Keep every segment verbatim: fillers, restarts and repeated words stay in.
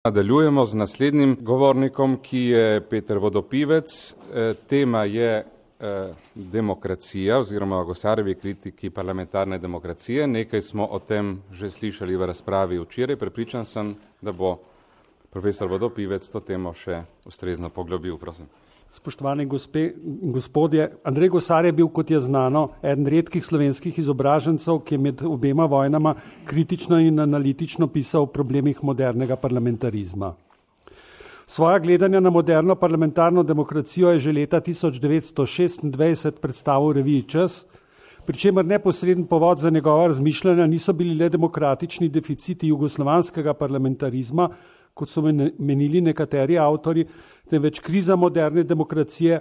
Nadaljujemo z naslednjim govornikom, ki je Peter Vodopivec. Tema je demokracija oziroma Gosarjevi kritiki parlamentarne demokracije. Nekaj smo o tem že slišali v razpravi včeraj. Prepričan sem, da bo profesor Vodopivec to temo še ustrezno poglobil. Prosim. Spoštovani gospe in gospodje, Andrej Gosar je bil, kot je znano, eden redkih slovenskih izobražencev, ki je med obema vojnama kritično in analitično pisal o problemih modernega parlamentarizma. Svoja gledanja na moderno parlamentarno demokracijo je že leta tisoč devetsto šestindvajset predstavil v reviji Čas, pri čemer neposreden povod za njegova razmišljanja niso bili le demokratični deficiti jugoslovanskega parlamentarizma, kot so menili nekateri avtori, temveč kriza moderne demokracije,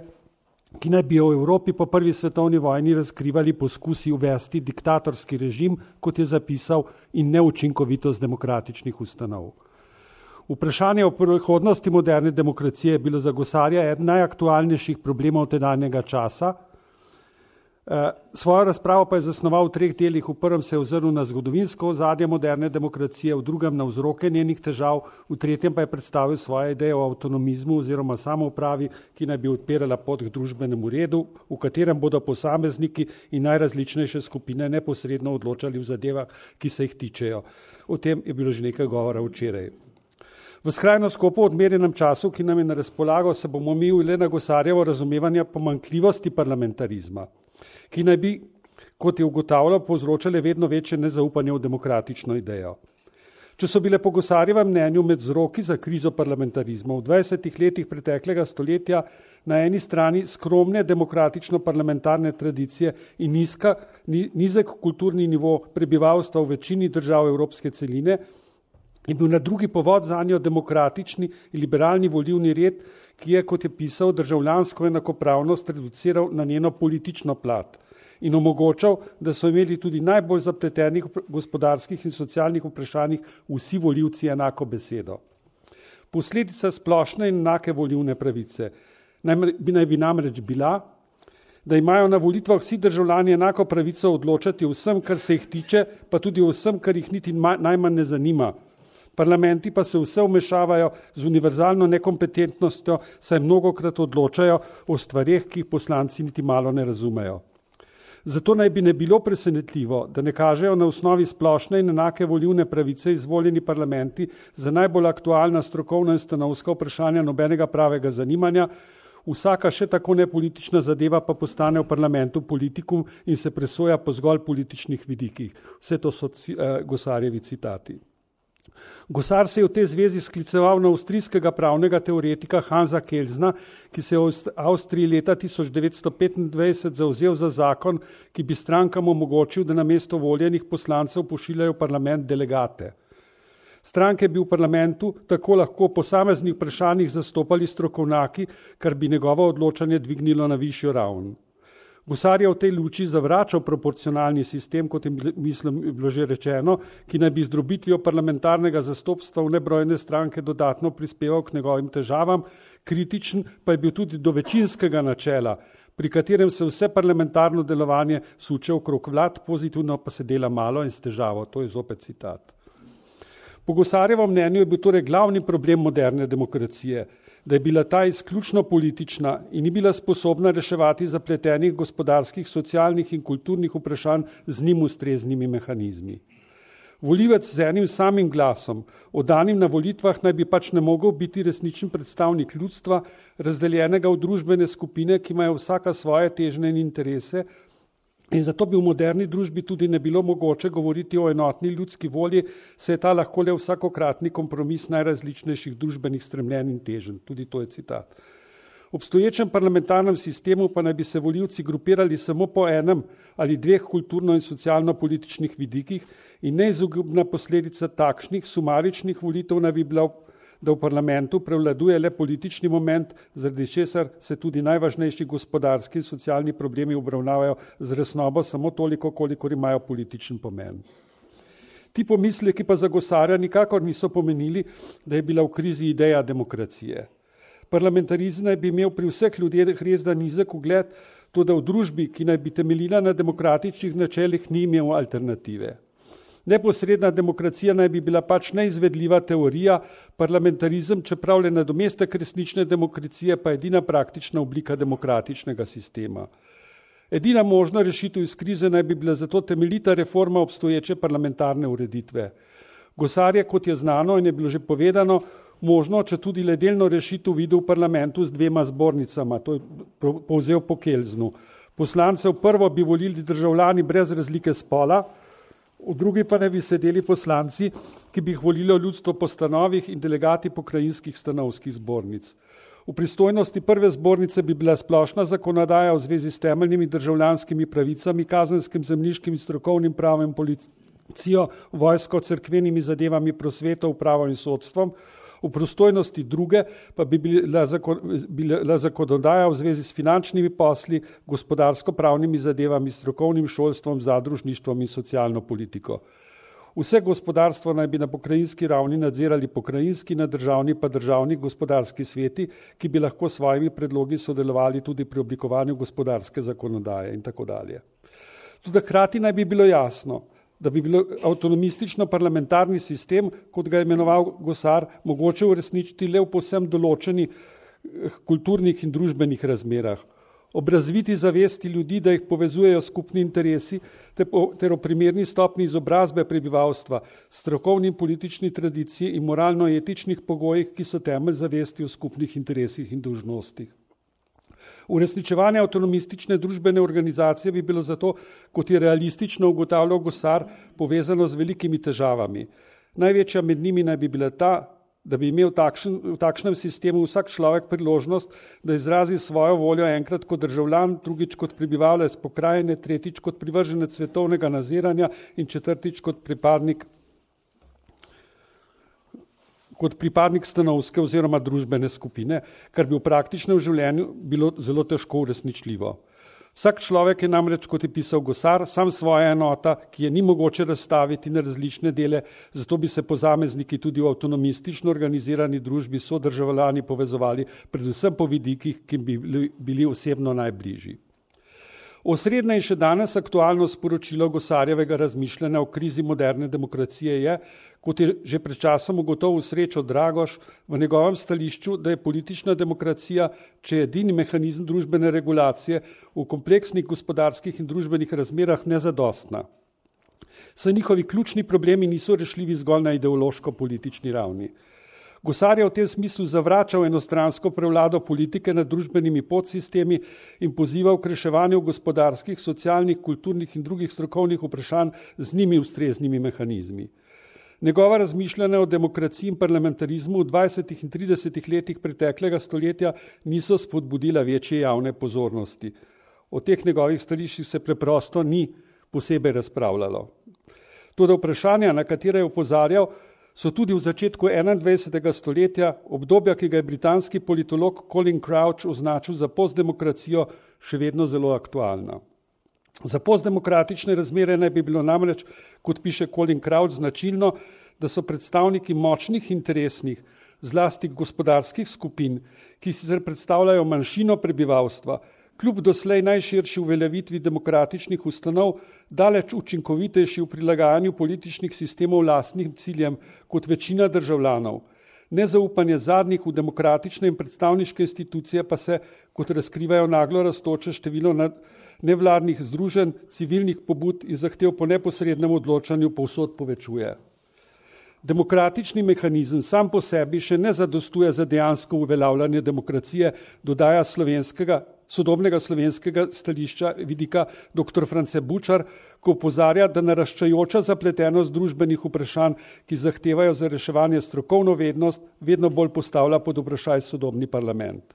ki naj bi jo v Evropi po prvi svetovni vojni razkrivali poskusi uvesti diktatorski režim, kot je zapisal, in neučinkovitost demokratičnih ustanov. Vprašanje o prihodnosti moderne demokracije je bilo za Gosarja eden najaktualnejših problemov tedanjega časa. Svojo razpravo pa je zasnoval v treh delih. V prvem se je ozrl na zgodovinsko ozadje moderne demokracije, v drugem na vzroke njenih težav, v tretjem pa je predstavil svoje ideje o avtonomizmu oziroma samoupravi, ki naj bi odpirala pot k družbenemu redu, v katerem bodo posamezniki in najrazličnejše skupine neposredno odločali v zadevah, ki se jih tičejo. O tem je bilo že nekaj govora včeraj. V skrajno skopo odmerjenem času, ki nam je na razpolago, se bomo omejili le na Gosarjevo razumevanje pomanjkljivosti parlamentarizma, ki naj bi, kot je ugotavljal, povzročale vedno večje nezaupanje v demokratično idejo. Če so bile po Gosarjevem mnenju med vzroki za krizo parlamentarizma v dvajsetih letih preteklega stoletja na eni strani skromne demokratično-parlamentarne tradicije in nizka, nizek kulturni nivo prebivalstva v večini držav evropske celine, je bil na drugi povod zanjo demokratični in liberalni volilni red, ki je, kot je pisal, državljansko enakopravnost reduciral na njeno politično plat in omogočal, da so imeli tudi najbolj zapletenih gospodarskih in socialnih vprašanjih vsi volivci enako besedo. Posledica splošne in enake volilne pravice naj bi, naj bi namreč bila, da imajo na volitvah vsi državljani enako pravico odločati o vsem, kar se jih tiče, pa tudi o vsem, kar jih niti najmanj ne zanima. Parlamenti pa se vse vmešavajo z univerzalno nekompetentnostjo, saj mnogokrat odločajo o stvareh, ki jih poslanci niti malo ne razumejo. Zato naj bi ne bilo presenetljivo, da ne kažejo na osnovi splošne in enake volilne pravice izvoljeni parlamenti za najbolj aktualna strokovna in stanovska vprašanja nobenega pravega zanimanja, vsaka še tako nepolitična zadeva pa postane v parlamentu politikum in se presoja po zgolj političnih vidikih. Vse to so uh, Gosarjevi citati. Gosar se je v tej zvezi skliceval na avstrijskega pravnega teoretika Hansa Kelzna, ki se je v Avstriji leta tisoč devetsto petindvajset zavzel za zakon, ki bi strankam omogočil, da namesto voljenih poslancev pošiljajo v parlament delegate. Stranke bi v parlamentu tako lahko po posameznih vprašanjih zastopali strokovnjaki, kar bi njegovo odločanje dvignilo na višjo raven. Gosar je v tej luči zavračal proporcionalni sistem, kot je mislim bilo že rečeno, ki naj bi z drobitvijo parlamentarnega zastopstva v nebrojne stranke dodatno prispeval k njegovim težavam, kritičen pa je bil tudi do večinskega načela, pri katerem se vse parlamentarno delovanje suče okrog vlad, pozitivno pa se dela malo in s težavo. To je zopet citat. Po Gosarjevem mnenju je bil torej glavni problem moderne demokracije, da je bila ta izključno politična in ni bila sposobna reševati zapletenih gospodarskih, socialnih in kulturnih vprašanj z njim ustreznimi mehanizmi. Volivec z enim samim glasom, oddanim na volitvah, naj bi pač ne mogel biti resničen predstavnik ljudstva, razdeljenega v družbene skupine, ki imajo vsaka svoje težnje in interese, in zato bi v moderni družbi tudi ne bilo mogoče govoriti o enotni ljudski volji, se je ta lahko le vsakokratni kompromis najrazličnejših družbenih stremljenj in teženj. Tudi to je citat. V obstoječem parlamentarnem sistemu pa naj bi se volivci grupirali samo po enem ali dveh kulturno- in socialno-političnih vidikih in neizogibna posledica takšnih sumaričnih volitev naj bi bila, da v parlamentu prevladuje le politični moment, zaradi česar se tudi najvažnejši gospodarski in socialni problemi obravnavajo z resnobo samo toliko, kolikor imajo političen pomen. Ti pomisleki pa za Gosarja nikakor niso pomenili, da je bila v krizi ideja demokracije. Parlamentarizem naj bi imel pri vseh ljudeh res da nizek ugled, toda v družbi, ki naj bi temeljila na demokratičnih načelih, ni imel alternative. Neposredna demokracija naj bi bila pač neizvedljiva teorija, parlamentarizem, čeprav le nadomestek resnične demokracije, pa edina praktična oblika demokratičnega sistema. Edina možna rešitev iz krize naj bi bila zato temeljita reforma obstoječe parlamentarne ureditve. Gosar je, kot je znano in je bilo že povedano, možno, če tudi le delno rešitev videl v parlamentu z dvema zbornicama, to je povzel po Kelznu. Poslancev prvo bi volili državljani brez razlike spola, v drugi pa ne bi sedeli poslanci, ki bi jih volilo ljudstvo po stanovih in delegati pokrajinskih stanovskih zbornic. V pristojnosti prve zbornice bi bila splošna zakonodaja v zvezi s temeljnimi državljanskimi pravicami, kazenskim, zemljiškim in strokovnim pravom, policijo, vojsko, cerkvenimi zadevami, prosveto, upravo in sodstvom. V prostojnosti druge pa bi bila, zakon, bila zakonodaja v zvezi s finančnimi posli, gospodarsko-pravnimi zadevami, strokovnim šolstvom, zadružništvom in socialno politiko. Vse gospodarstvo naj bi na pokrajinski ravni nadzirali pokrajinski, na državni pa državni gospodarski sveti, ki bi lahko s svojimi predlogi sodelovali tudi pri oblikovanju gospodarske zakonodaje in tako dalje. Tudi hkrati naj bi bilo jasno, da bi bilo avtonomistično parlamentarni sistem, kot ga je imenoval Gosar, mogoče uresničiti le v povsem določenih kulturnih in družbenih razmerah. Ob razviti zavesti ljudi, da jih povezujejo skupni interesi, ter o primerni stopni izobrazbe prebivalstva, strokovni in politični tradiciji in moralno-etičnih pogojih, ki so temelj zavesti o skupnih interesih in dolžnostih. Uresničevanje avtonomistične družbene organizacije bi bilo zato, kot je realistično ugotavljal Gosar, povezano z velikimi težavami. Največja med njimi naj bi bila ta, da bi imel takšen, v takšnem sistemu vsak človek priložnost, da izrazi svojo voljo enkrat kot državljan, drugič kot prebivalec pokrajine, tretjič kot privrženec svetovnega naziranja in četrtič kot pripadnik kot pripadnik stanovske oziroma družbene skupine, kar bi v praktičnem življenju bilo zelo težko uresničljivo. Vsak človek je namreč, kot je pisal Gosar, sam svoja enota, ki je ni mogoče razstaviti na različne dele, zato bi se posamezniki tudi v avtonomistično organizirani družbi sodržavljani povezovali, predvsem po vidikih, ki bi bili osebno najbližji. Osrednje in še danes aktualno sporočilo Gosarjevega razmišljanja o krizi moderne demokracije je, kot je že pred časom ugotovil Srečo Dragoš v njegovem stališču, da je politična demokracija, če je edini mehanizem družbene regulacije, v kompleksnih gospodarskih in družbenih razmerah nezadostna. Saj njihovi ključni problemi niso rešljivi zgolj na ideološko-politični ravni. Gosar je v tem smislu zavračal enostransko prevlado politike nad družbenimi podsistemi in pozival k reševanju gospodarskih, socialnih, kulturnih in drugih strokovnih vprašanj z njimi ustreznimi mehanizmi. Njegova razmišljanja o demokraciji in parlamentarizmu v dvajsetih in tridesetih letih preteklega stoletja niso spodbudila večje javne pozornosti. O teh njegovih stališčih se preprosto ni posebej razpravljalo. Toda vprašanja, na katere je opozarjal, so tudi v začetku enaindvajsetega stoletja, obdobja, ki ga je britanski politolog Colin Crouch označil za postdemokracijo, še vedno zelo aktualna. Za postdemokratične razmere naj bi bilo namreč, kot piše Colin Crouch, značilno, da so predstavniki močnih interesnih, zlasti gospodarskih skupin, ki sicer predstavljajo manjšino prebivalstva, kljub doslej najširši uveljavitvi demokratičnih ustanov, daleč učinkovitejši v prilagajanju političnih sistemov lastnim ciljem kot večina državljanov. Nezaupanje zadnjih v demokratične in predstavniške institucije pa se, kot razkrivajo naglo rastoče število nevladnih združenj, civilnih pobud in zahtev po neposrednem odločanju povsod povečuje. Demokratični mehanizem sam po sebi še ne zadostuje za dejansko uveljavljanje demokracije, dodaja slovenskega, sodobnega slovenskega stališča vidika doktor France Bučar, ko opozarja, da naraščajoča zapletenost družbenih vprašanj, ki zahtevajo za reševanje strokovno vednost, vedno bolj postavlja pod vprašaj sodobni parlament.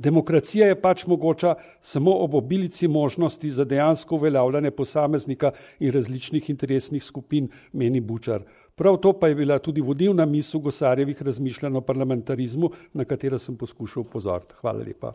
Demokracija je pač mogoča samo ob obilici možnosti za dejansko uveljavljanje posameznika in različnih interesnih skupin, meni Bučar. Prav to pa je bila tudi vodilna misel Gosarjevih razmišljanj o parlamentarizmu, na katero sem poskušal pozoriti. Hvala lepa.